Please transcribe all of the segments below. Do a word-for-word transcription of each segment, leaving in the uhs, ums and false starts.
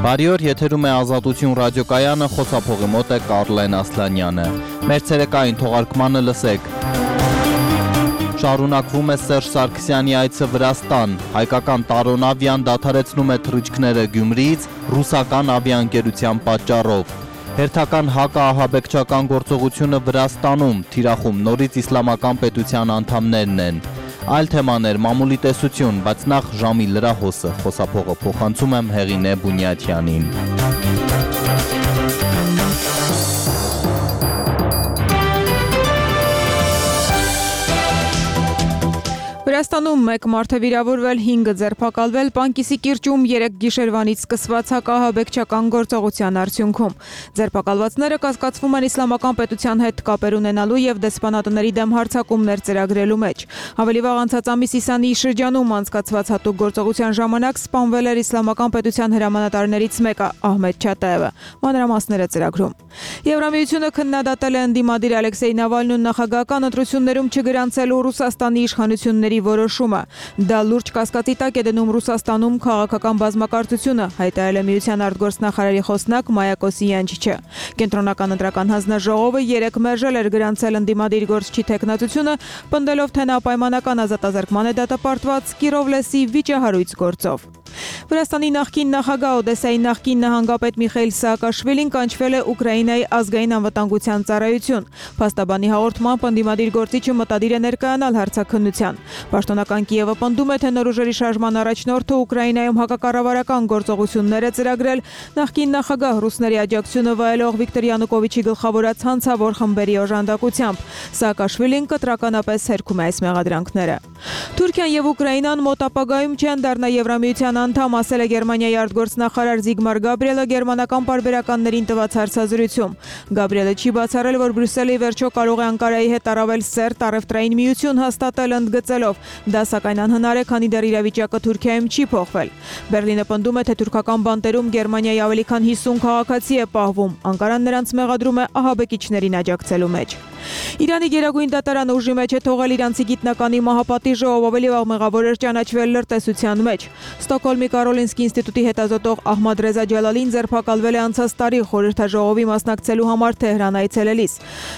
Բարի օր, եթերում է Ազատություն ռադիոկայանը, խոսափողի մոտ է Կարլեն Ասլանյանը։ Մեր ցերեկային թողարկմանը լսեք։ Շարունակվում է Սերժ Սարգսյանի այցը Վրաստան, հայկական Տարոն ավիան դադարեցնում է թռիչքները Գյումրիից ռուսական ավիաընկերության պատճառով։ Հերթական հակաահաբեկչական գործողությունը Վրաստանում, թիրախում նորից իսլամական պետության անդամներն են։ Այլ թեմաներ, մամուլի տեսություն, բայց նախ ժամի լրահոսը, խոսափողը փոխանցում եմ Հեղինե Բունյաթյանին։ Վրաստանում մեկ մարդ է վիրավորվել, հինգը ձերբակալվել Պանկիսի կիրճում երեք գիշերվանից սկսված հակաահաբեկչական գործողության արդյունքում։ Ձերբակալվածները կասկածվում են իսլամական պետության հետ կապեր ունենալու եւ դեսպանատների դեմ հարձակումներ ծրագրելու մեջ։ Ավելի վաղ անցած ամիսի Իսանիի շրջանում անցկացված հատուկ գործողության ժամանակ սպանվել էր իսլամական պետության հրամանատարներից մեկը Ահմեդ Չատաևը։ Մանրամասները ծրագրում։ Եվրամիությունը քննադատել է ընդդիմադիր Ալեքսեյ Նավալնուն նախագահական ընտրություններում չգրանցելու Ռուսաստանի իշխանությունների որոշումը։ Դա լուրջ կասկածի տակ է դնում Ռուսաստանում քաղաքական բազմակարծությունը, հայտարարել է Միության արտգործնախարարի խոսնակ Մայա Կոսյանչիչը։ Կենտրոնական ընտրական հանձնաժողովը երեկ մերժել էր գրանցել ընդդիմադիր գործչի թեկնածությունը, պնդելով, թե նա պայմանական ազատազրկման է դատապարտված Կիրովլեսի վիճահարույց գործով։ Վրաստանի նախկին նախագահ Օդեսայի նախկին նահանգապետ Միխայիլ Սաակաշվիլին կանչվել է Ուկրաինայի ազգային անվտանգության ծառայություն։ Փաստաբանի հաղորդմամբ ընդդիմադիր գործիչը մտադիր է ներկայանալ հարցաքննության։ Պաշտոնական Կիևը պնդում է, թե նոր ուժերի շարժման առաջնորդը Ուկրաինայում հակակառավարական գործողություններ է ծրագրել նախկին նախագահ ռուսների աջակցությունը վայելող Վիկտոր Յանուկովիչի գլխավորած հանցավոր խմբերի օժանդակությամբ։ Սաակաշվիլին կտրականապես հերքում է այս մեղադրանքները։ Թուրքիան եւ Ուկրաինան մոտ ապագայում չեն դառնա Եվրամիության անդամ, ասել է Գերմանիայի արտգործնախարար Զիգմար Գաբրիելը գերմանական պարբերականներին տված հարցազրույցում։ Գաբրիելը չի բացառել, որ Բրյուսելը ի վերջո կարող է Անկարայի հետ առավել սերտ առևտրային միություն հաստատել, ընդգծելով. դա սակայն անհնար է, քանի դեռ իրավիճակը Թուրքիայում չի փոխվել։ Բերլինը պնդում է, թե թուրքական բանտերում Գերմանիայի ավելի քան հիսուն քաղաքացի է պահվում։ Անկարան նրանց մեղադրում է ահաբեկիչներին աջակցելու մեջ։ Իրանի գերագույն դատարանը ուժի մեջ է թողել իրանցի գիտնականի մահապատիժը, ով ավելի վաղ մեղավոր էր ճանաչվել լրտեսության մեջ։ Ստոկհոլմի Կարոլինսկի ինստիտուտի հետազոտող Ահմադ Ռեզա Ջալալին ձերբակալվել է անցած տարի խորհրդաժողովի մասնակցելու համար Թեհրան այցելելիս։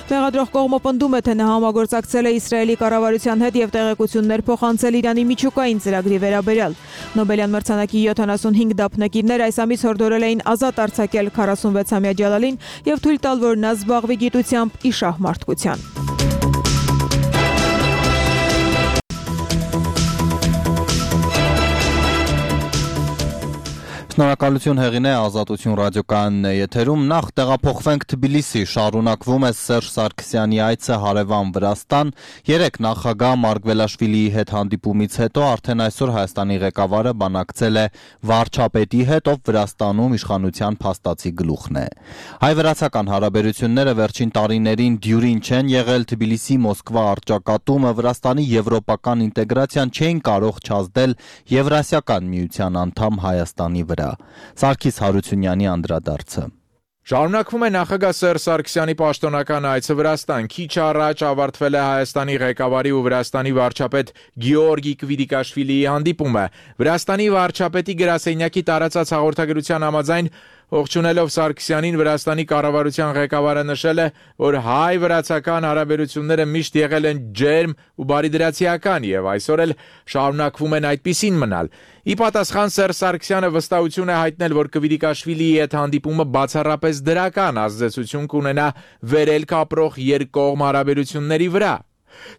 Մեղադրող կողմը պնդում է, թե նա համագործակցել է Իսրայելի կառավարության հետ եւ տեղեկություններ փոխանցել Իրանի միջուկային ծրագրի վերաբերյալ։ Նոբելյան մրցանակի յոթանասունհինգ դափնեկիրներ այս ամիս հորդորել էին ազատ արձակել քառասունվեցամյա Ջալալին եւ թույլ տալ, որ նա զբաղվի գիտությամբ ի շահմարտության։ Շնորհակալություն Հեղինե, Ազատություն ռադիոկայանն է եթերում։ Նախ տեղափոխվենք Թբիլիսի, շարունակվում է Սերժ Սարգսյանի այցը հարևան Վրաստան։ Երեկ նախագահ Մարգվելաշվիլիի հետ հանդիպումից հետո արդեն այսօր Հայաստանի ղեկավարը բանակցել է վարչապետի հետ, ով Վրաստանում իշխանության փաստացի գլուխն է։ Հայ-վրացական հարաբերությունները վերջին տարիներին դյուրին չեն եղել, Թբիլիսի Մոսկվա առճակատումը Վրաստանի եվրոպական ինտեգրացիան չէին կարող չազդել Եվրասիական միության անդամ Հայաստանի վրա։ Սարգիս Հարությունյանի անդրադարձը։ Շարունակվում է նախագահ Սերժ Սարգսյանի պաշտոնական այցը Վրաստան։ Քիչ առաջ ավարտվել է Հայաստանի ղեկավարի ու Վրաստանի վարչապետ Գեորգի Կվիդիկաշվիլիի հանդիպումը։ Վրաստանի վարչապետի գրասենյակի տարածած հաղորդագրության համաձայն ողջունելով Սարգսյանին, Վրաստանի կառավարության ղեկավարը նշել է, որ հայ-վրացական հարաբերությունները միշտ եղել են ջերմ ու բարիդրացիական եւ այսօր էլ շարունակվում են այդպիսին մնալ։ Ի պատասխան Սերժ Սարգսյանը վստահություն է հայտնել, որ Կվիդիկաշվիլիի հետ հանդիպումը բացառապես դրական ազդեցություն կունենա վերելք ապրող երկկողմ հարաբերությունների վրա։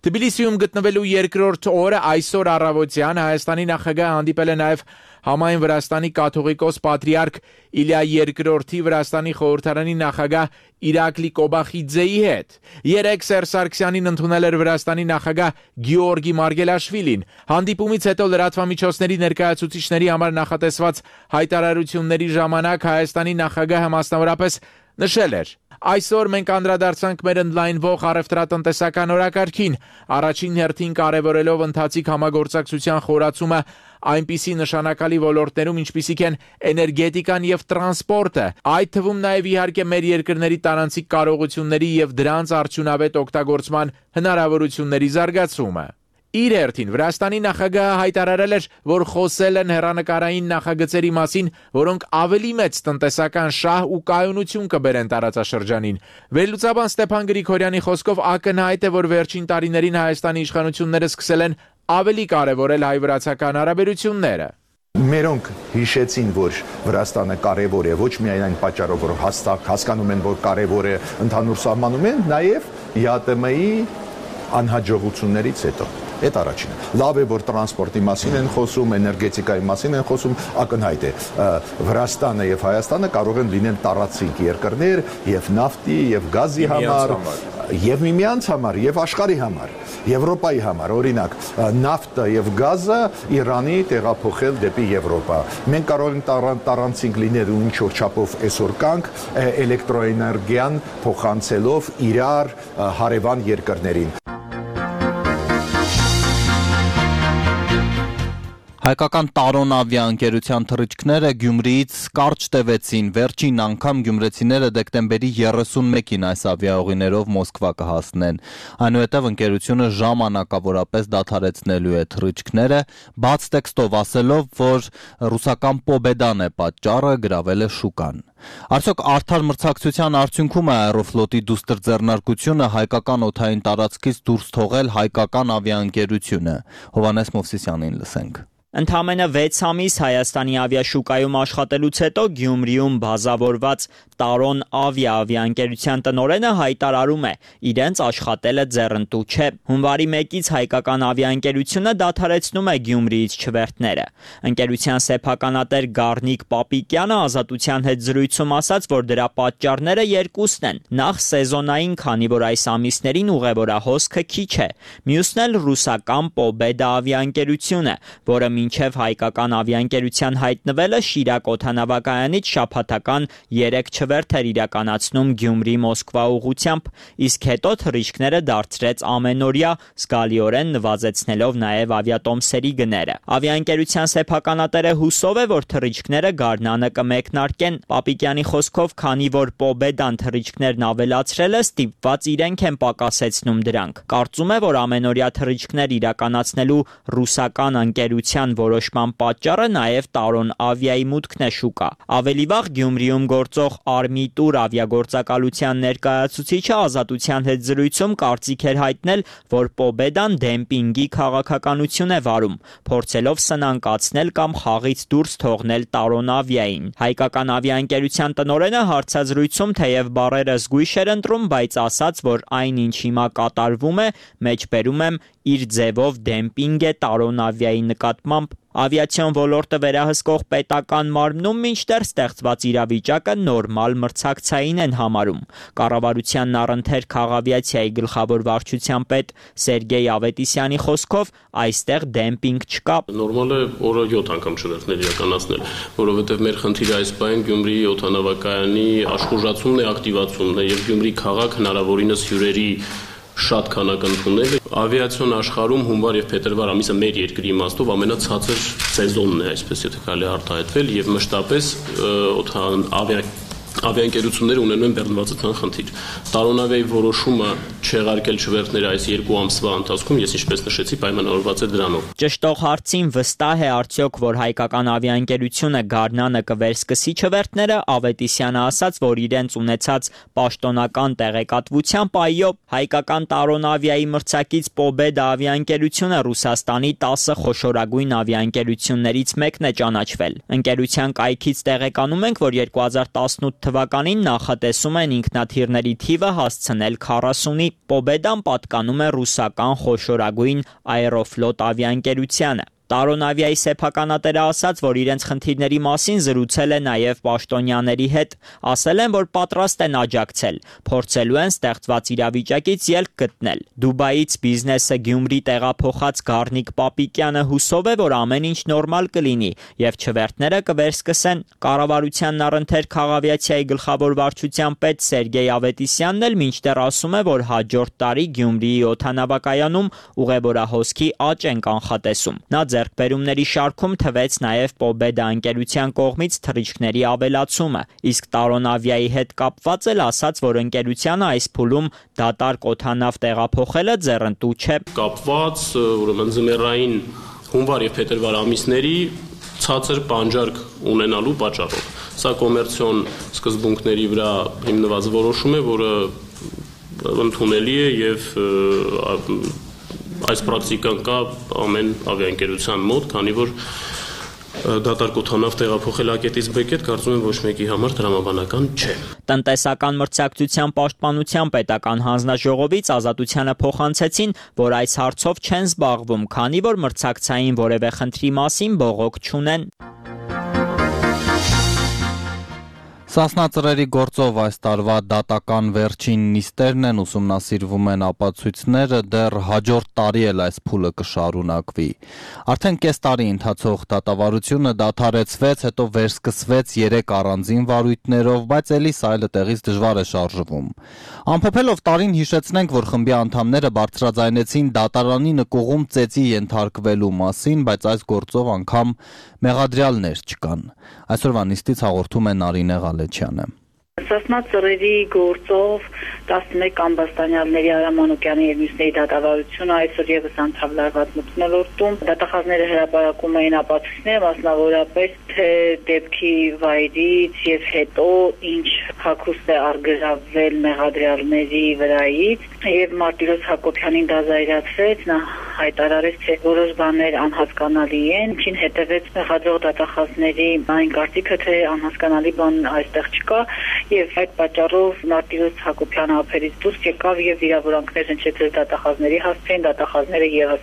Թբիլիսիում գտնվելու երկրորդ օրը այսօր առավոտյան Հայաստանի նախագահը հանդիպել է նաև համայն Վրաստանի կաթողիկոս պատրիարք Իլիա երկրորդի, Վրաստանի խորհրդարանի նախագահ Իրակլի Կոբախիձեի հետ։ Երեկ Սերժ Սարգսյանին ընդունել էր Վրաստանի նախագահ Գեորգի Մարգելաշվիլին։ Հանդիպումից հետո լրատվամիջոցների ներկայացուցիչների համար նախատեսված հայտարարությունների ժամանակ Հայաստանի նախագահը մասնավորապես նշել էր. Այսօր մենք անդրադարձանք մեր ընդլայնվող առևտրատնտեսական օրակարգին, առաջին հերթին կարևորելով ընթացիկ համագործակցության խորացումը այնպիսի նշանակալի ոլորտներում, ինչպիսիք են էներգետիկան եւ տրանսպորտը, այդ թվում նաեւ իհարկե մեր երկրների տարանցիկ կարողությունների եւ դրանց արդյունավետ օգտագործման հնարավորությունների զարգացումը։ Իր հերթին Վրաստանի նախագահը հայտարարել էր, որ խոսել են հեռանկարային նախագծերի մասին, որոնք ավելի մեծ տնտեսական շահ ու կայունություն կբերեն տարածաշրջանին։ Վերլուծաբան Ստեփան Գրիգորյանի խոսքով ակնհայտ է, որ վերջին տարիներին Հայաստանի իշխանությունները սկսել են ավելի կարևորել հայ-վրացական հարաբերությունները։ Մերոնք հիշեցին, որ Վրաստանը կարևոր է, ոչ միայն այն պատճառով, որ հաստատ հասկանում են, որ կարևոր է ընդհանուր սահմանում են, նաև ԵԱՏՄ-ի անհաջողություններից հետո։ Այդ առաջինը։ Լավ է, որ տրանսպորտի մասին են խոսում, էներգետիկայի մասին են խոսում, ակնհայտ է։ Վրաստանը եւ Հայաստանը կարող են լինել տարածիկ երկրներ եւ նավթի եւ գազի համար, եւ միմյանց համար, եւ աշխարհի համար, Եվրոպայի համար, օրինակ, նավթը եւ գազը Իրանի տեղափոխել դեպի Եվրոպա։ Մենք կարող ենք տարանցիկ լինել ու ինչ-որ չափով այսօր կանք էլեկտրոէներգիան փոխանցելով իրար հարևան երկրներին։ Հայկական Տարոն ավիաընկերության թռիչքները Գյումրիից կարճ տևեցին, վերջին անգամ գյումրեցիները դեկտեմբերի երեսունմեկին այս ավիաուղիներով Մոսկվա կհասնեն։ Այնուհետև ընկերությունը ժամանակավորապես դադարեցնելու է թռիչքները, բաց տեքստով ասելով, որ ռուսական Պոբեդան է պատճառը, գրավել է շուկան։ Արդյոք արդար մրցակցության արդյունքում է Aeroflot-ի դուստր ձեռնարկությունը հայկական օդային տարածքից դուրս թողել հայկական ավիաընկերությունը։ Հովհաննես Մովսիսյանին լսենք։ Ընդամենը վեց ամիս Հայաստանի ավիաշուկայում աշխատելուց հետո Գյումրիում բազավորված Տարոն ավիա ավիաընկերության տնօրենը հայտարարում է, իրենց աշխատելը ձեռնտու չէ։ Հունվարի մեկից հայկական ավիաընկերությունը դադարեցնում է Գյումրիից չվերթները։ Ընկերության սեփականատեր Գառնիկ Պապիկյանը Ազատության հետ զրույցում ասաց, որ դրա պատճառները երկուսն են։ Նախ սեզոնային, քանի որ այս ամիսներին ուղևորահոսքը քիչ է։ Մյուսն էլ ռուսական Պոբեդա ավիաընկերությունը, որը մինչև հայկական ավիաընկերության հայտնվելը Շիրակ օդանավակայանից շաբաթական երեք չվերթ էր իրականացնում Գյումրի-Մոսկվա ուղղությամբ, իսկ հետո թռիչքները դարձրեց ամենօրյա, զգալիորեն նվազեցնելով նաև ավիատոմսերի գները։ Ավիաընկերության սեփականատերը հուսով է, որ թռիչքները գարնանը կմեկնարկեն։ Պապիկյանի խոսքով, քանի որ Պոբեդան թռիչքներն ավելացրել է, ստիպված իրենք են պակասեցնում դրանք։ Կարծում է, որ ամենօրյա թռիչքներ իրականացնելու ռուսական ընկերության որոշման պատճառը նաև Տարոն ավիայի մուտքն է շուկա։ Ավելի վաղ Գյումրիում գործող Արմիտուր ավիագործակալության ներկայացուցիչը Ազատության հետ զրույցում կարծիք էր հայտնել, որ Պոբեդան դեմպինգի քաղաքականություն է վարում, փորձելով սնանկացնել կամ խաղից դուրս թողնել Տարոն ավիային։ Հայկական ավիաընկերության տնօրենը հարցազրույցում թեև բառերը զգույշ էր ընտրում, բայց ասաց, որ այն, ինչ հիմա կատարվում է, մեջբերում եմ, իր ձևով դեմպինգ է Տարոն ավիայի նկատմամբ։ Ավիացիոն ոլորտը վերահսկող պետական մարմնում մինչդեռ ստեղծված իրավիճակը նորմալ մրցակցային են համարում։ Կառավարության առընթեր քաղավիացիայի գլխավոր վարչության պետ Սերգեյ Ավետիսյանի խոսքով այստեղ դեմպինգ չկա։ Նորմալ է օրը յոթ անգամ չվերթներ իրականացնել, որովհետև մեր խնդիրը այս պահին Գյումրիի օդանավակայանի աշխուժացումն է, ակտիվացումն է եւ Գյումրի քաղաք հնարավորինս հյուրերի շատ քանակ ընդունել։ Ավիացիոն աշխարհում հունվար եւ փետրվար ամիսը մեր երկրի իմաստով ամենացածր սեզոնն է, այսպես եթե կարելի արտահայտվել, եւ մշտապես ավիա ավիաընկերությունները ունենում են բեռնվածության խնդիր։ Տարոն ավիայի որոշումը չեղարկել չվերթները այս երկու ամսվա ընթացքում, ես ինչպես նշեցի, պայմանավորված է դրանով։ Ճշտող հարցին վստահ է արդյոք, որ հայկական ավիաընկերությունը գարնանը կվերսկսի չվերթները, Ավետիսյանը ասաց, որ իրենց ունեցած պաշտոնական տեղեկատվությամբ այո, հայկական Տարոն ավիայի մրցակից Պոբեդա ավիաընկերությունը Ռուսաստանի տասը խոշորագույն ավիաընկերություններից մեկն է ճանաչվել։ Ընկերության կայքից տեղեկանում ենք, որ երկու հազար տասնութ թվականին նախատեսում են ինքնաթիռների թիվը հասցնել քառասունի։ Պոբեդան պատկանում է ռուսական խոշորագույն Aeroflot ավիաընկերությանը։ Տարոն ավիայի սեփականատերը ասաց, որ իրենց խնդիրների մասին զրուցել է նաև պաշտոնյաների հետ, ասել են, որ պատրաստ են աջակցել, փորձելու են ստեղծված իրավիճակից ելք գտնել։ Դուբայից բիզնեսը Գյումրի տեղափոխած Գառնիկ Պապիկյանը հուսով է, որ ամեն ինչ նորմալ կլինի եւ չվերթները կվերսկսեն։ Կառավարության առընթեր քաղավիացիայի գլխավոր վարչության պետ Սերգեյ Ավետիսյանն էլ մինչդեռ ասում է, որ հաջորդ տարի Գյումրիի օդանավակայանում ուղևորահոսքի աճ են կանխատեսում։ Նա ձեռքբերումների շարքում թվեց նաև Pobeda ընկերության կողմից թռիչքների ավելացումը, իսկ Taron Avia-ի հետ կապված էլ ասաց, որ ընկերությանը այս փուլում դատարկ օդանավ տեղափոխելը ձեռնտու չէ։ Կապված ուրեմն ձմեռային հունվար եւ փետրվար ամիսների ցածր պանջարկ ունենալու պատճառով։ Սա կոմերցիոն սկզբունքների վրա հիմնված որոշում է, որը ընդունելի է եւ այս պրակտիկան կա ամեն ավիաընկերության մոտ, քանի որ դատարկ օդանավ տեղափոխել A-կետից B-կետ կարծում եմ ոչ մեկի համար դրամաբանական չէ։ Տնտեսական մրցակցության պաշտպանության պետական հանձնաժողովից Ազատությանը փոխանցեցին, որ այս հարցով չեն զբաղվում, քանի որ մրցակցային որևէ խնդրի մասին բողոք չունեն։ Սասնա ծռերի գործով այս տարվա դատական վերջին նիստերն են, ուսումնասիրվում են ապացույցները, դեռ հաջորդ տարի էլ այս փուլը կշարունակվի։ Արդեն կես տարի ընթացող դատավարությունը դադարեցվեց, հետո վերսկսվեց երեք առանձին վարույթներով, բայց էլիս այլը տեղից դժվար է շարժվում։ Ամփոփելով տարին հիշեցնենք, որ խմբի անդամները բարձրաձայնեցին դատարանի նկուղում ծեծի ենթարկվելու մասին, բայց այս գործով անգամ մեղադրյալներ չկան։ Այսօրվա նիստից հաղորդում է Նարինե Ղալեչյանը։ Սասնա ծռերի գործով տասնմեկ ամբաստանյալների Արամ Մանուկյանի եւ մյուսների դատավարությունը այսօր եւս անդրադառնաց մթնոլորտում։ Դատախազները հրապարակում էին ապացույցներ, մասնավորապես թե դեպքի վայրից եւ հետո ինչ հակուստ է արգելավել մեղադրյալների վրայից եւ Մարտիրոս Հակոբյանին դա զայրացրեց, նա հայտարարեց, թե որոշ բաներ անհասկանալի են, ինչին հետևեց մեղադրող դատախազների այն կարծիքը, թե անհասկանալի բան այստեղ չկա եւ այդ պատճառով Մարտիրոս Հակոբյանը ափերից դուրս եկավ եւ վիրավորանքներ հնչեցրեց դատախազների հասցեին, դատախազները եւս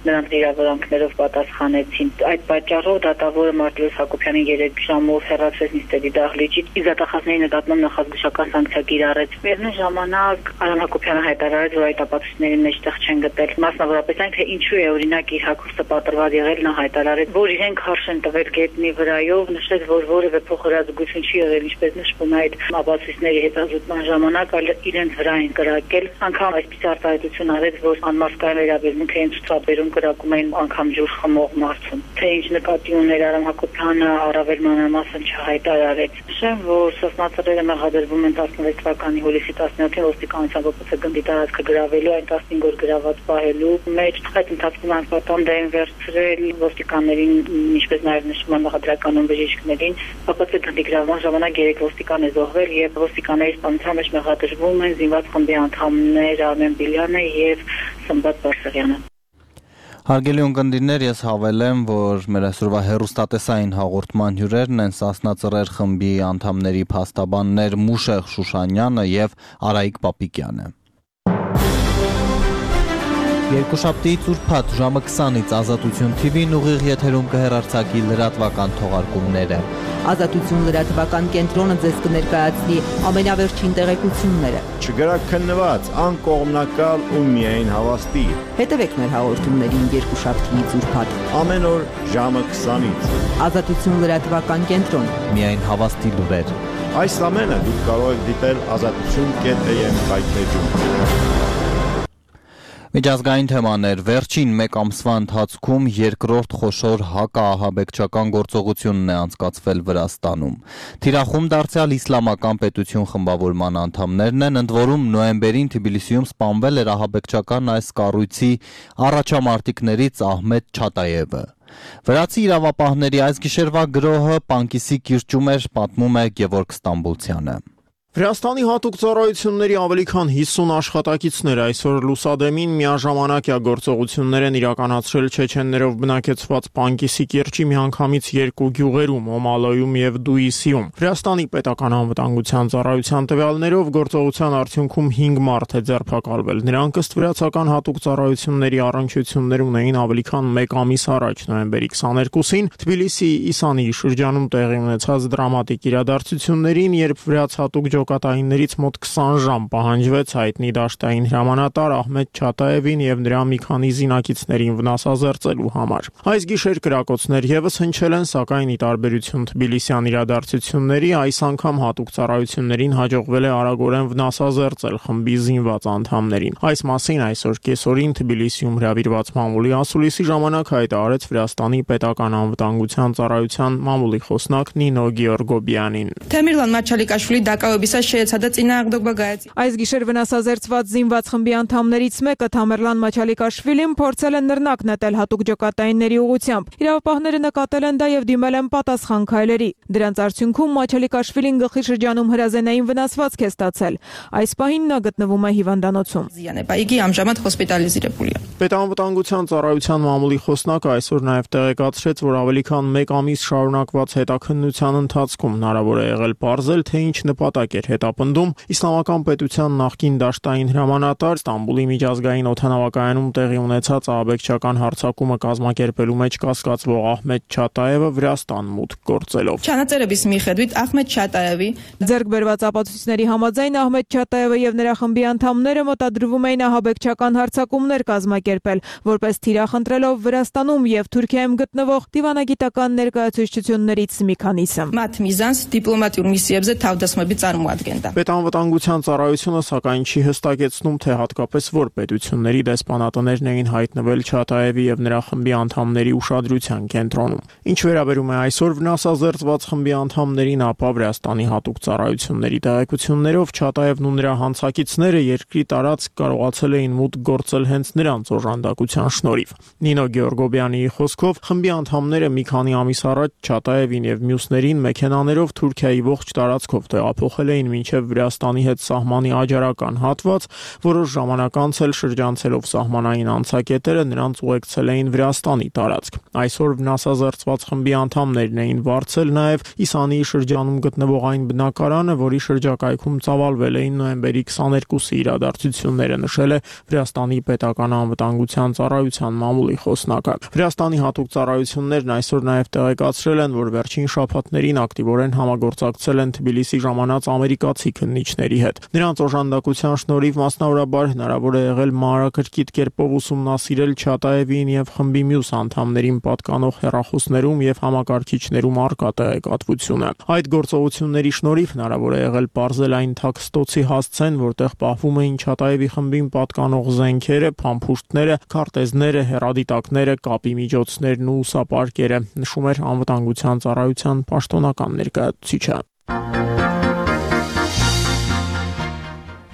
նրանց վիրավորանքներով պատասխանեցին։ Այդ պատճառով դատավորը Մարտիրոս Հակոբյանին երեք ժամով հեռացրեց նիստերի դահլիճից, իսկ դատախազների նկատմամբ նախազգուշական սանկցիա կիրառեց։ Միևնույն ժամանակ Արամ Հակոբյանը հայտարարեց, որ այդ ապացույցների մեջտեղ չեն գտել, մասնավորապես այն, թե ինչու է օրինակ իր հագուստը պատրված եղել, նա հայտարարեց, որ իրենք հարց են տվել գետնի վրայով, նշեց, որ որևէ փոխհրաձգություն չի եղել, ինչպես նշվում է այդ ապացույցների հետազոտման ժամանակ, այլ իրենց վրա են կրակել, անգամ այսպես արտահայտություն արեց, որ անմարսկային վերաբերմունք էին ցուցաբերում, կրակում էին անգամ ջուր խմող մարդուն։ Թե ինչ նկատի ուներ Արամ Հակոբյանը, առավել մանրամասն չհայտարարեց։ Նշեմ, որ Սասնա ծռերը մեղադրվում են տասնվեց թվականի հուլիսի տասնյոթին ոստիկանության ՈՊՑ գնդի տարածքը գրավելու, այն տասնհինգ օր գրաված պահելու մեջ այդ ընթացքում անպատանդ են վերցրել ոստիկաններին, ինչպես նաև նշվում է մեղադրականուն բժիշկներին, ՈՊՑ գնդի գրավման ժամանակ երեք ոստիկան է զոհվել եւ ոստիկանների սպանության մեջ մեղադրվում են զինված խմբի անդամներ Արմեն Բիլյանը եւ Սմբատ Բարսեղյանը։ Հարգելի ունկնդիրներ, ես հավելեմ, որ մեր այսօրվա հեռուստատեսային հաղորդման հյուրերն են Սասնա ծռեր խմբի անդամների փաստաբաններ Մուշեղ Շուշանյանը եւ Արայիկ Պապիկյանը։ Երկուշաբթի ծուրփաթ ժամը քսանից Ազատություն Թի Վին ուղիղ եթերում կհեռարձակի լրատվական թողարկումները։ Ազատություն լրատվական կենտրոնը ձեզ կներկայացնի ամենավերջին տեղեկությունները։ Չգրաքննված, անկողմնակալ ու միայն հավաստի։ Հետևեք մեր հաղորդումներին երկուշաբթի ծուրփաթ Ամեն օր ժամը քսանից։ Ազատություն լրատվական կենտրոն։ Միայն հավաստի լուրեր։ Այս ամենը դուք կարող եք դիտել ազատություն.am կայքեջում։ Միջազգային թեմաներ վերջին մեկ ամսվա ընթացքում երկրորդ խոշոր հակաահաբեկչական գործողությունն է անցկացվել Վրաստանում։ Թիրախում դարձյալ իսլամական պետություն խմբավորման անդամներն են, ընդ որում նոյեմբերին Թբիլիսիում սպանվել էր ահաբեկչական այս կառույցի առաջամարտիկներից Ահմեդ Չատաևը։ Վրացի իրավապահների այս գիշերվա գրոհը Պանկիսի կիրճում էր, պատմում է Գևորգ Ստամբուլցյանը։ Վրաստանի հատուկ ծառայությունների ավելի քան հիսուն աշխատակիցներ այսօր լուսադեմին միաժամանակյա գործողություններ են իրականացրել չեչեններով բնակեցված Պանկիսի կիրճի միանգամից երկու գյուղերում՝ Օմալոյում եւ Դուիսիում։ Վրաստանի պետական անվտանգության ծառայության տվյալներով գործողության արդյունքում հինգ մարդ է ձերբակալվել։ Նրանք ըստ վրացական հատուկ ծառայությունների առնչություններ ունեին ավելի քան մեկ ամիս առաջ, նոյեմբերի քսաներկուսին, Թբիլիսի Իսանի շրջանում տեղի ունեցած դրամատիկ իրադարձություններին, երբ վրաց հատուկ ջոկատայիններից մոտ քսան ժամ պահանջվեց հայտնի դաշտային հրամանատար Ահմեդ Չատաևին եւ նրա մի քանի զինակիցներին վնասազերծելու համար։ Այս գիշեր կրակոցներ եւս հնչել են, սակայն ի տարբերություն թբիլիսյան իրադարձությունների, այս անգամ հատուկ ծառայություններին հաջողվել է արագորեն վնասազերծել խմբի զինված անդամներին։ Այս մասին այսօր կեսօրին Թբիլիսիում հրավիրված մամուլի ասուլիսի ժամանակ հայտարարեց Վրաստանի պետական անվտանգության ծառայության մամուլի խոսնակ Նինո Գեորգոբյանին։ Թեմիրլան Մաչալիկաշվիլի դակայոբիսա շեյցադա ծինաղդոկ բագայց։ Այս գիշեր վնասազերծված զինված խմբի անդամներից մեկը Թամերլան Մաչալիկաշվիլին փորձել են նռնակ նետել հատուկ ջոկատայինների ուղղությամբ։ Իրավապահները նկատել են դա եւ դիմել են պատասխան քայլերի։ Դրանց արդյունքում Մաչալիկաշվիլին գլխի շրջանում հրազենային վնասվածք է ստացել։ Այս պահին նա գտնվում է հիվանդանոցում։ Զիանեպայգի ամժամատ հոսպիտալիզիրებული է։ Պետանվտանգության ծառայության մամուլի խոսնակը այսօր նաև տեղեկացրեց, որ ավելի քան մեկ ամիս շարունակված հետաքննության ընթացքում հնարավոր է եղել պարզել, թե ինչ նպատակ էր հետապնդում Իսլամական պետության նախկին դաշտային հրամանատար Ստամբուլի միջազգային օդանավակայանում տեղի ունեցած ահաբեկչական հարձակումը կազմակերպելու մեջ կասկածվող Ահմեդ Չատաևը Վրաստան մուտք գործելով։ Չանաձերებիս մի խեդվիտ Ահմեդ Չատաևի ձեռք բերված ապացույցների համաձայն Ահմեդ Չատաևը եւ նրա խմբի անդամները մտադրվում էին ահաբեկչական հարձակումներ կազմակերպել, որպես թիրախ ընտրելով Վրաստանում եւ Թուրքիայում գտնվող դիվանագիտական ներկայացուցչություններից մի քանիսը։ Մաթ միզանս դիպլոմատիურ միսիեբզե թավդասմաբի ծարմուադգենտա։ Պետանվտանգության ծառայությունը սակայն չի հստակեցնում, թե հատկապես որ պետությունների դեսպանատներն էին հայտնվել Չատաևի եւ նրա խմբի անդամների ուշադրության կենտրոնում։ Ինչ վերաբերում է այսօր վնասազերծված խմբի անդամներին, ապա Վրաստանի հատուկ ծառայությունների տեղեկություններով Չատաևն ու նրա հանցակիցները երկրի տարածք կարողացել էին մուտք գործել հենց նրանց օժանդակության շնորհիվ։ Նինո Գեորգոբյանի խոսքով խմբի անդամները մի քանի ամիս առաջ Չատաևին եւ մյուսներին մեքենաներով Թուրքիայի ողջ տարածքով տեղափոխել էին մինչև Վրաստանի հետ սահմանի աջարական հատված, որոշ ժամանակ անց էլ շրջանցելով սահմանային անցակետերը նրանց ուղեկցել էին Վրաստանի տարածք։ Այսօր վնասազերծված խմբի անդամներն էին վարձել նաեւ Իսանիի շրջանում գտնվող այն բնակարանը, որի շրջակայքում ծավալվել էին նոյեմբերի քսաներկուսի իրադարձությունները, նշել է Վրաստանի պետական անվտանգության ծառայության մամուլի խոսնակը։ Վրաստանի հատուկ ծառայություններն այսօր նաև տեղեկացրել են, որ վերջին շաբաթներին ակտիվորեն համագործակցել են Թբիլիսի ժամանած ամերիկացի քննիչների հետ։ Նրանց օժանդակության շնորհիվ մասնավորաբար հնարավոր է եղել մանրակրկիտ կերպով ուսումնասիրել Չատաևին եւ խմբի մյուս անդամներին պատկանող հեռախոսներում եւ համակարգիչներում առկա տեղեկատվությունը։ Այդ գործողությունների շնորհիվ հնարավոր է եղել պարզել այն թաքստոցի հասցեն, որտեղ պահվում էին Չատաևի խմբին պատկանող զենքերը, փամփուշտները, քարտեզները, հեռադիտակները, կապի միջոցներն ու ուսապարկերը, նշում էր անվտանգության ծառայության պաշտոնական ներկայացուցիչը։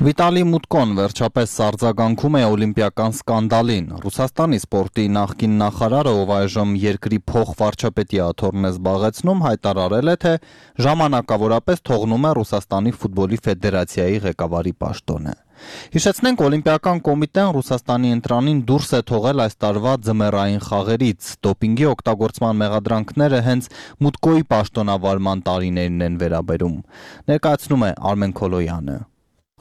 Վիտալի Մուտկոն վերջապես սարձագանքում է օլիմպիական սկանդալին։ Ռուսաստանի սպորտի նախկին նախարարը, ով այժմ երկրի փոխվարչապետի աթոռն է զբաղեցնում, հայտարարել է, թե ժամանակավորապես թողնում է Ռուսաստանի ֆուտբոլի ֆեդերացիայի ղեկավարի պաշտոնը։ Հիշեցնենք, Օլիմպիական կոմիտեն Ռուսաստանի ընտրանին դուրս է թողել այս տարվա ձմեռային խաղերից։ Դոպինգի օգտագործման մեղադրանքները հենց Մուտկոյի պաշտոնավարման տարիներին են վերաբերում։ Ներկայացնում է Արմեն Քոլոյանը։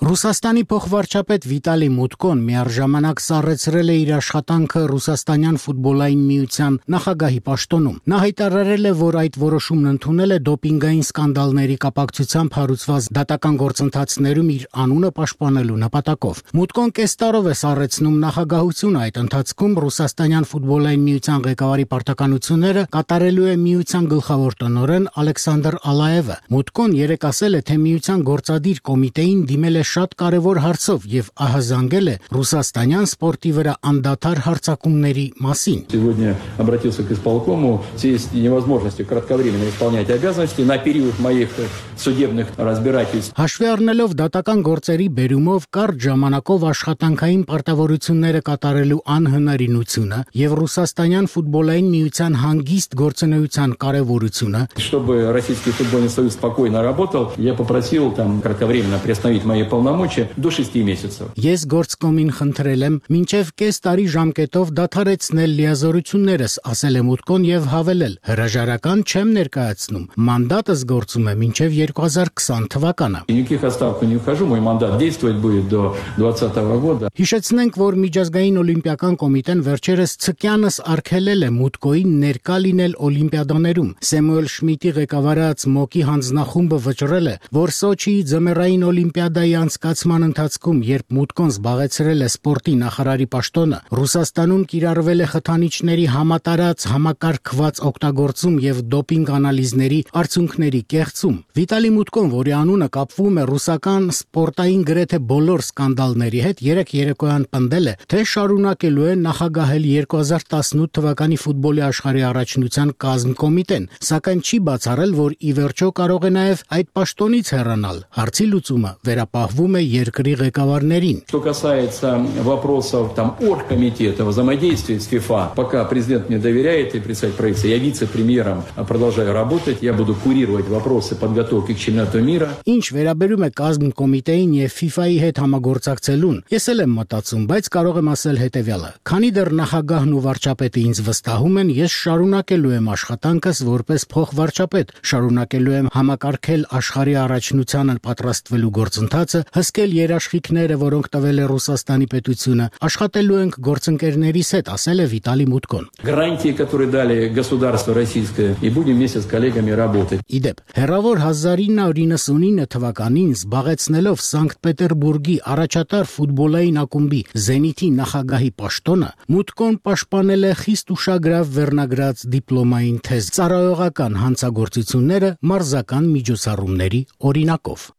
Ռուսաստանի փոխվարչապետ Վիտալի Մուտկոն միառժամանակ սառեցրել է իր աշխատանքը Ռուսաստանյան ֆուտբոլային միության նախագահի պաշտոնում։ Նա հայտարարել է, որ այդ որոշումն ընդունել է դոպինգային սկանդալների կապակցությամբ հարուցված դատական գործընթացներում իր անունը պաշտպանելու նպատակով։ Մուտկոն կես տարով է սառեցնում նախագահությունը, այդ ընթացքում Ռուսաստանյան ֆուտբոլային միության ղեկավարի պարտականությունները կատարելու է միության գլխավոր տնօրեն Ալեքսանդր Ալաևը։ Մուտկոն երեկ ասել է, թե միության գործադիր կոմիտեին դիմել է շատ կարևոր հարցով եւ ահազանգել է ռուսաստանյան սպորտի վրա անդադար հարձակումների մասին։ Сегодня обратился к исполкому в связи с невозможностью кратковременно исполнять обязанности на период моих судебных разбирательств. Հաշվի առնելով դատական գործերի բերումով կարճ ժամանակով աշխատանքային պարտավորությունները կատարելու անհնարինությունը եւ ռուսաստանյան ֆուտբոլային միության հանգիստ գործունեության կարեւորությունը, чтобы Российский футбольный союз спокойно работал, я попросил там кратковременно приостановить мои полномочия полномочия до шести месяцев. Ես գործկոմին խնդրել եմ մինչև կես տարի ժամկետով դադարեցնել լիազորություններս, ասել է Մուտկոն եւ հավելել. հրաժարական չեմ ներկայացնում, մանդատս գործում է մինչև երկու հազար քսան թվականը։ Никаких отставок не ухожу, мой мандат действовать будет до двадцатого года. Հիշեցնենք, որ Միջազգային օլիմպիական կոմիտեն վերջերս ցկյանս արգելել է Մուտկոին ներկա լինել օլիմպիադաներում։ Սեմուել Շմիդտի ղեկավարած ՄՕԿ-ի հանձնախումբը վճռել է, որ Սոչիի ձմեռային օլիմպիադայի անցկացման ընթացքում, երբ Մուտկոն զբաղեցրել է սպորտի նախարարի պաշտոնը, Ռուսաստանում կիրառվել է խթանիչների համատարած համակարգված օգտագործում եւ դոպինգ անալիզների արդյունքների կեղծում։ Վիտալի Մուտկոն, որի անունը կապվում է ռուսական սպորտային գրեթե բոլոր սկանդալների հետ, երեք երեկոյան պնդել է, թե շարունակելու է նախագահել երկու հազար տասնութ թվականի ֆուտբոլի աշխարհի առաջնության կազմկոմիտեն, սակայն չի բացառել, որ ի վերջո կարող է նաև այդ պաշտոնից հեռանալ։ Հարցի լուծումը վերապահվում է երկրի ղեկավարներին։ Что касается вопросов там оргкомитета, взаимодействия с ФИФА, пока президент мне доверяет и представитель правительства, я вице-премьером продолжаю работать, я буду курировать вопросы подготовки к чемпионату мира. Ինչ վերաբերում է կազմկոմիտեին եւ FIFA-ի հետ համագործակցելուն, ես էլ եմ մտածում, բայց կարող եմ ասել հետեւյալը. քանի դեռ նախագահն ու վարչապետը ինձ վստահում են, ես շարունակելու եմ աշխատանքս որպես փոխվարչապետ, շարունակելու եմ համակարգել աշխարհի առաջնությանը պատրաստվելու գործընթացը, հսկել երաշխիքները, որոնք տվել է Ռուսաստանի պետությունը, աշխատելու ենք գործընկերներիս հետ, ասել է Վիտալի Մուտկոն։ Гарантии, которые дали государство российское, и будем вместе с коллегами работать. Իդեպ, հեռավոր հազար ինը հարյուր իննսունինը թվականին զբաղեցնելով Սանկտ Պետերբուրգի առաջատար ֆուտբոլային ակումբի Զենիթի նախագահի պաշտոնը, Մուտկոն պաշտպանել է խիստ ուշագրավ վերնագրած դիպլոմային թեզ, ծառայողական հանցագործությունները մարզական միջոցառումների օրինակով։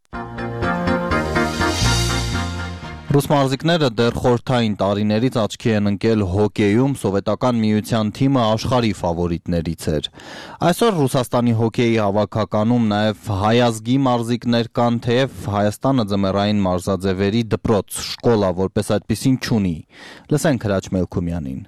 Ռուս մարզիկները դեռ խորհրդային տարիներից աչքի են ընկել հոկեյում, սովետական միության թիմը աշխարհի ֆավորիտներից էր։ Այսօր Ռուսաստանի հոկեյի հավաքականում նաև հայազգի մարզիկներ կան, թեև Հայաստանը ձմեռային մարզաձևերի դպրոց, շկոլա որպես այդպիսին չունի։ Լսենք Հրաչ Մելքումյանին։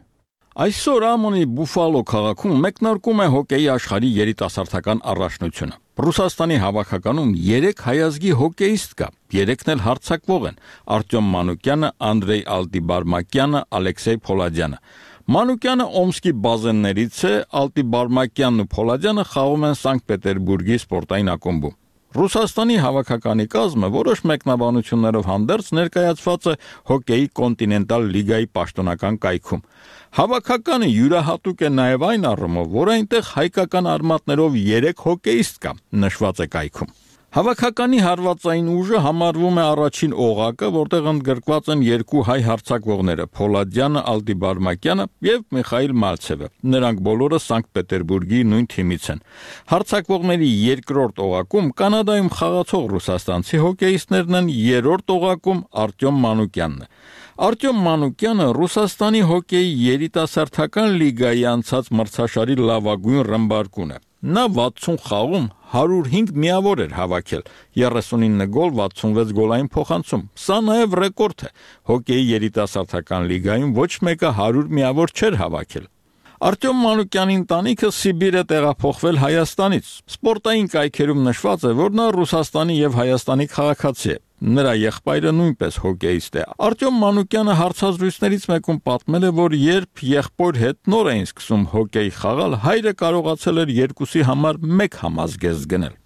Այսօր ԱՄՆ-ի Բուֆալո քաղաքում մեկնարկում է հոկեյի աշխարհի երիտասարդական առաջնությունը։ Ռուսաստանի հավաքականում երեք հայազգի հոկեյիստ կա, երեքն էլ հարձակվող են՝ Արտյոմ Մանուկյանը, Անդրեյ Ալտիբարմակյանը, Ալեքսեյ Փոլադյանը։ Մանուկյանը Օմսկի բազեններից է, Ալտիբարմակյանն ու Փոլադյանը խաղում են Սանկտ Պետերբուրգի սպորտային ակումբում։ Ռուսաստանի հավաքականի կազմը որոշ մեկնաբանություններով հանդերձ ներկայացված է հոկեյի կոնտինենտալ լիգայի պաշտոնական կայքում։ Հավաքականը յուրահատուկ է նաև այն առումով, որ այնտեղ հայկական արմատներով երեք հոկեյիստ կա, նշված է կայքում։ Հավաքականի հարվածային ուժը համարվում է առաջին օղակը, որտեղ ընդգրկված են երկու հայ հարձակվողները՝ Փոլադյանը, Ալտիբարմակյանը եւ Միխայիլ Մալցևը։ Նրանք բոլորը Սանկտ Պետերբուրգի նույն թիմից են։ Հարձակվողների երկրորդ օղակում Կանադայում խաղացող ռուսաստանցի հոկեյիստներն են, երրորդ օղակում Արտյոմ Մանուկյանն է։ Արտյոմ Մանուկյանը Ռուսաստանի հոկեյի երիտասարդական լիգայի անցած մրցաշարի լավագույն ռմբարկուն է։ Նա վաթսուն խաղում հարյուր հինգ միավոր էր հավաքել, երեսունինը գոլ, վաթսունվեց գոլային փոխանցում։ Սա նաև ռեկորդ է։ Հոկեյի երիտասարդական լիգայում ոչ մեկը հարյուր միավոր չէր հավաքել։ Արտյոմ Մանուկյանի ընտանիքը Սիբիր է տեղափոխվել Հայաստանից։ Սպորտային կայքերում նշված է, որ նա Ռուսաստանի եւ Հայաստանի քաղաքացի է։ Նրա եղբայրը նույնպես հոկեյիստ է։ Արտյոմ Մանուկյանը հարցազրույցներից մեկում պատմել է, որ երբ եղբոր հետ նոր էին սկսում հոկեյ խաղալ, հայրը կարողացել էր երկուսի համար մեկ համազգեստ գնել։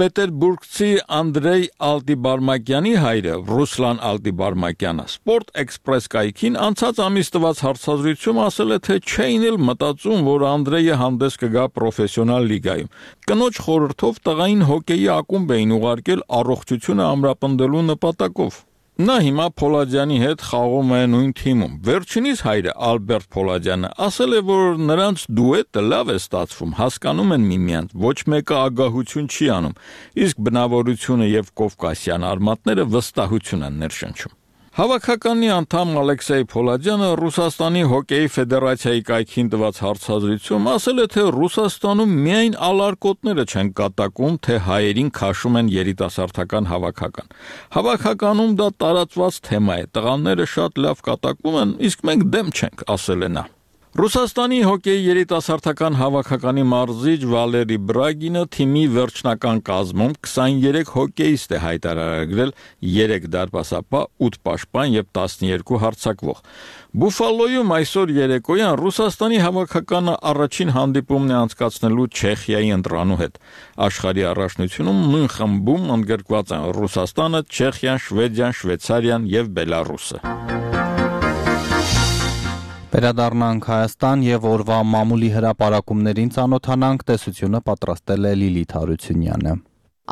Պետերբուրգցի Անդրեյ Ալտիբարմակյանի հայրը Ռուսլան Ալտիբարմակյանը Sport Express կայքին անցած ամիս տված հարցազրույցում ասել է, թե չէին էլ մտածում, որ Անդրեյը հանդես կգա պրոֆեսիոնալ լիգայում։ Կնոջ խորհրդով տղային հոկեյի ակումբ էին ուղարկել առողջությունը ամրապնդելու նպատակով։ Նա հիմա Փոլադյանի հետ խաղում է նույն թիմում։ Վերջինիս հայրը Ալբերտ Փոլադյանը ասել է, որ նրանց դուետը լավ է ստացվում, հասկանում են միմյանց, ոչ մեկը ագահություն չի անում, իսկ բնավորությունը եւ կովկասյան արմատները վստահություն են ներշնչում։ Հավաքականի անդամ Ալեքսեյ Փոլադյանը Ռուսաստանի հոկեյի ֆեդերացիայի կայքին տված հարցազրույցում ասել է, թե Ռուսաստանում միայն ալարկոտները չեն կատակում, թե հայերին քաշում են երիտասարդական հավաքական։ Հավաքականում դա տարածված թեմա է, տղաները շատ լավ կատակում են, իսկ մենք դեմ չենք, ասել է նա։ Ռուսաստանի հոկեյի երիտասարդական հավաքականի մարզիչ Վալերի Բրագինը թիմի վերջնական կազմում քսաներեք հոկեյիստ է հայտարարել, երեք դարպասապահ, ութ պաշտպան եւ տասներկու հարձակվող։ Բուֆալոյում այսօր երեկոյան Ռուսաստանի հավաքականը առաջին հանդիպումն է անցկացնելու Չեխիայի ընտրանու հետ։ Աշխարհի առաջնությունում նույն խմբում ընդգրկված են Ռուսաստանը, Չեխիան, Շվեդիան, Շվեյցարիան եւ Բելարուսը։ Վերադառնանք Հայաստան եւ օրվա մամուլի հրապարակումներին ծանոթանանք, տեսությունը պատրաստել է Լիլիթ Հարությունյանը։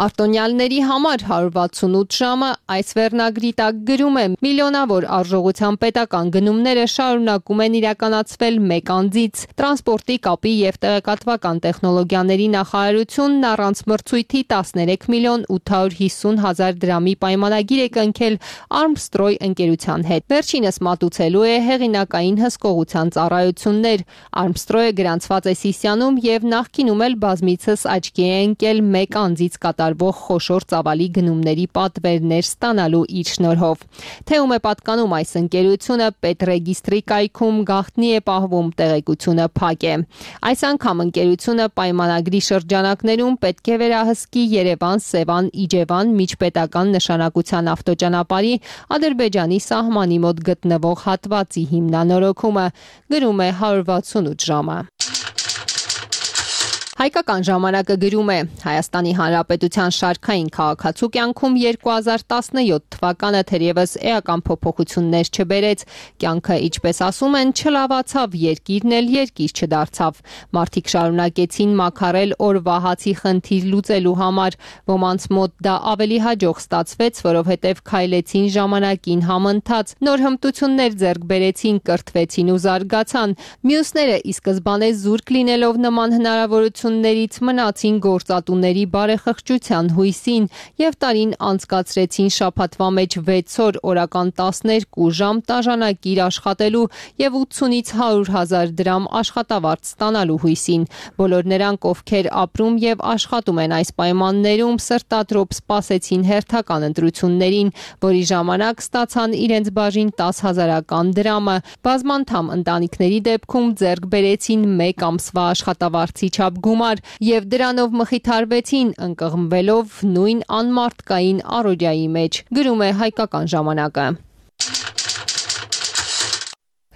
Արտոնյալների համար հարյուր վաթսունութ ժամը այս վերնագրի տակ գրում է միլիոնավոր արժողության պետական գնումները շարունակում են իրականացվել մեկ անձից։ Տրանսպորտի, կապի եւ տեղեկատվական տեխնոլոգիաների նախարարությունն առանց մրցույթի տասներեք միլիոն ութ հարյուր հիսուն հազար դրամի պայմանագիր է կնքել Armstrong ընկերության հետ։ Վերջինս մատուցելու է հեղինակային հսկողության ծառայություններ։ Armstrong-ը գրանցված է Սիսիանում եւ նախկինում էլ բազմիցս աչքի է ընկել մեկ անձից կատարվող խոշոր ծավալի գնումների պատվերներ ստանալու իր շնորհով։ Թե ում է պատկանում այս ընկերությունը, պետռեգիստրի կայքում գաղտնի է պահվում, տեղեկությունը փակ է։ Այս անգամ ընկերությունը պայմանագրի շրջանակներում պետք է վերահսկի Երևան-Սևան Իջևան միջպետական նշանակության ավտոճանապարհի Ադրբեջանի սահմանի մոտ գտնվող հատվածի հիմնանորոգումը, գրում է հարյուր վաթսունութ ժամը։ Հայկական ժամանակը գրում է. Հայաստանի Հանրապետության շարքային քաղաքացու կյանքում երկու հազար տասնյոթ թվականը թերևս էական փոփոխություններ չբերեց, կյանքը, ինչպես ասում են, չլավացավ, երկիրն էլ երկիր չդարձավ։ Մարդիկ շարունակեցին մաքարել օրվա հացի խնդիր լուծելու համար, ոմանց մոտ դա ավելի հաջող ստացվեց, որովհետև քայլեցին ժամանակին համընթաց, նոր հմտություններ ձեռք բերեցին, կրթվեցին ու զարգացան։ Մյուսները ի սկզբանե զուրկ լինելով նման հնարավորություն ներից մնացին գործատուների բարեխղճության հույսին եւ տարին անցկացրեցին շաբաթվա մեջ վեց օր, օրական տասներկու ժամ տաժանակիր աշխատելու եւ ութսունից հարյուր հազար դրամ աշխատավարձ ստանալու հույսին։ Բոլոր նրանք, ովքեր ապրում եւ աշխատում են այս պայմաններում, սրտադրոպ սպասեցին հերթական ընտրություններին, որի ժամանակ ստացան իրենց բաժին տասը հազարական դրամը։ Բազմանդամ ընտանիքների դեպքում ձեռք բերեցին մեկ ամսվա աշխատավարձի չափ գումար եւ դրանով մխիթարվեցին, ընկղմվելով նույն անմարդկային առօրյայի մեջ, գրում է Հայկական ժամանակը։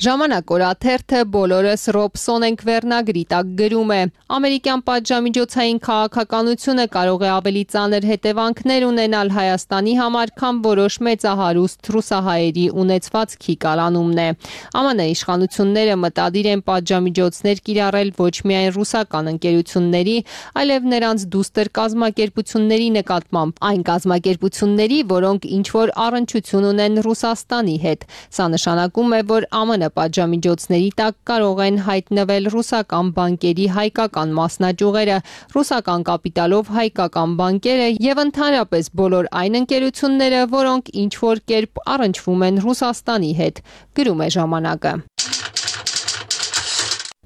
Ժամանակ օրաթերթը բոլորս Ռոբսոն ենք վերնագրի տակ գրում է. Ամերիկյան պատժամիջոցային քաղաքականությունը կարող է ավելի ծանր հետևանքներ ունենալ Հայաստանի համար, քան որոշ մեծահարուստ ռուսահայերի ունեցվածքի կալանումն է։ ԱՄՆ իշխանությունները մտադիր են պատժամիջոցներ կիրառել ոչ միայն ռուսական ընկերությունների, այլև նրանց դուստր կազմակերպությունների նկատմամբ, այն կազմակերպությունների, որոնք ինչ-որ առնչություն ունեն Ռուսաստանի հետ։ Սա նշանակում է, որ ԱՄՆ պատժամիջոցների տակ կարող են հայտնվել ռուսական բանկերի հայկական մասնաճյուղերը, ռուսական կապիտալով հայկական բանկերը եւ ընդհանրապես բոլոր այն ընկերությունները, որոնք ինչ-որ կերպ առնչվում են Ռուսաստանի հետ, գրում է ժամանակը։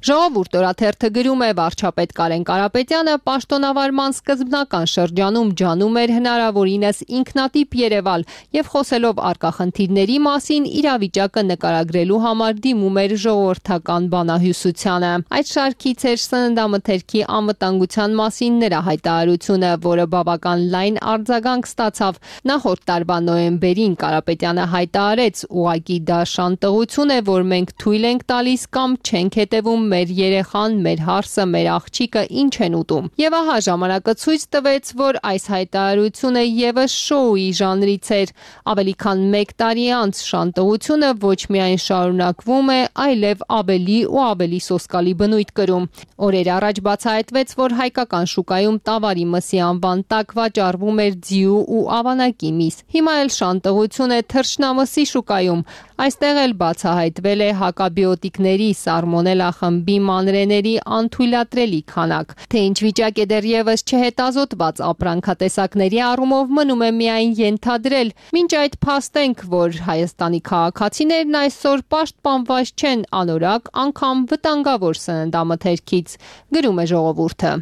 Ժողովուրդ օրաթերթը գրում է. վարչապետ Կարեն Կարապետյանը պաշտոնավարման սկզբնական շրջանում ջանում էր հնարավորինս ինքնատիպ երևալ եւ խոսելով արկա խնդիրների մասին իրավիճակը նկարագրելու համար դիմում էր ժողովրդական բանահյուսությանը։ Այդ շարքից էր սննդամթերքի անվտանգության մասին նրա հայտարարությունը, որը բավական լայն արձագանք ստացավ։ Նախորդ տարվա նոյեմբերին Կարապետյանը հայտարարեց. ուղղակի դա շանտեղություն է, որ մենք թույլ ենք տալիս կամ չենք հետևում մեր երեխան, մեր հարսը, մեր աղջիկը ինչ են ուտում։ Եվ ահա ժամանակը ցույց տվեց, որ այս հայտարարությունը եւս շոուի ժանրից էր։ Ավելի քան մեկ տարի անց շանտեղությունը ոչ միայն շարունակվում է, այլև ավելի ու ավելի սոսկալի բնույթ կրում։ Օրեր առաջ բացահայտվեց, որ հայկական շուկայում տավարի մսի անվան տակ վաճառվում էր ձիու ու ավանակի միս։ Հիմա էլ շանտեղություն է թռչնամսի շուկայում։ Այստեղ էլ բացահայտվել է հակաբիոտիկների սալմոնելա խմբի մանրեների անթույլատրելի քանակ։ Թե ինչ վիճակ է դեռևս չհետազոտված ապրանքատեսակների առումով մնում է միայն ենթադրել։ Մինչ այդ փաստենք, որ Հայաստանի քաղաքացիներն այսօր պաշտպանված չեն անորակ, անգամ վտանգավոր սննդամթերքից, գրում է ժողովուրդը։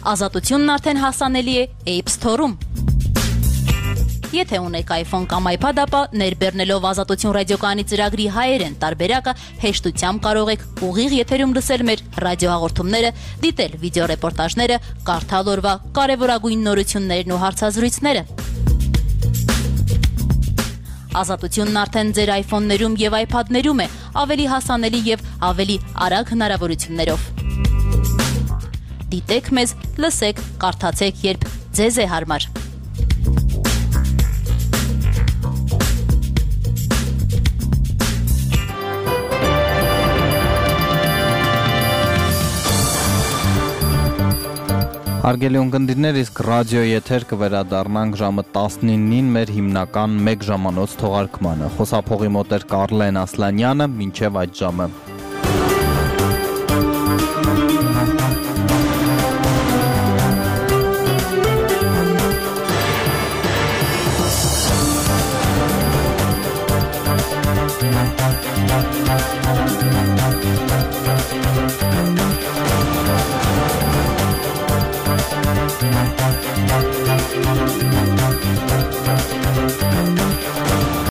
Ազատությունն արդեն հասանելի է App Store-ում։ Եթե ունեք iPhone կամ iPad, ապա ներբեռնելով Ազատություն ռադիոկայանի ծրագրի հայերեն տարբերակը հեշտությամբ կարող եք ուղիղ եթերում լսել մեր ռադիոհաղորդումները, դիտել վիդեոռեպորտաժները, կարդալ օրվա կարևորագույն նորություններն ու հարցազրույցները։ Ազատությունն արդեն ձեր iPhone-ներում եւ iPad-ներում է, ավելի հասանելի եւ ավելի արագ հնարավորություններով։ Դիտեք մեզ, լսեք, կարդացեք, երբ ձեզ է հարմար։ Հարգելի ունկնդիրներ, իսկ ռադիո եթեր կվերադառնանք ժամը տասնինին մեր հիմնական մեկ ժամանոց թողարկմանը։ Խոսափողի մոտ էր Կարլեն Ասլանյանը, մինչև այդ ժամը։ We'll be right back.